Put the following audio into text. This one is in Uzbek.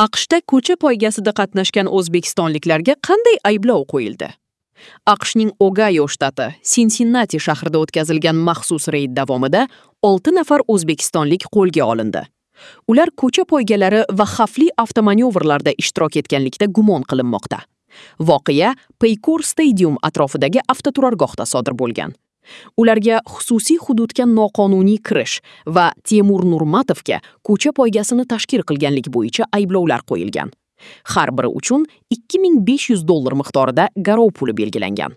AQShda ko'cha poygasida qatnashgan o'zbekistonliklarga qanday ayblov qo'yildi? AQShning Ogayo shtati Sinsinnati shahrida o'tkazilgan maxsus reyd davomida 6 nafar o'zbekistonlik qo'lga olindi. Ular ko'cha poygalari va xavfli avtomanyovrlarda ishtirok etganlikda gumon qilinmoqda. Voqea Paycor Stadium atrofidagi avtoturargohda sodir bo'lgan. Ularga xususiy hududga noqonuniy kirish va Temur Nurmatovga ko'cha poygasini tashkil qilganlik bo'yicha ayblovlar qo'yilgan. Har biri uchun 2500 dollar miqdorida garov puli belgilangan.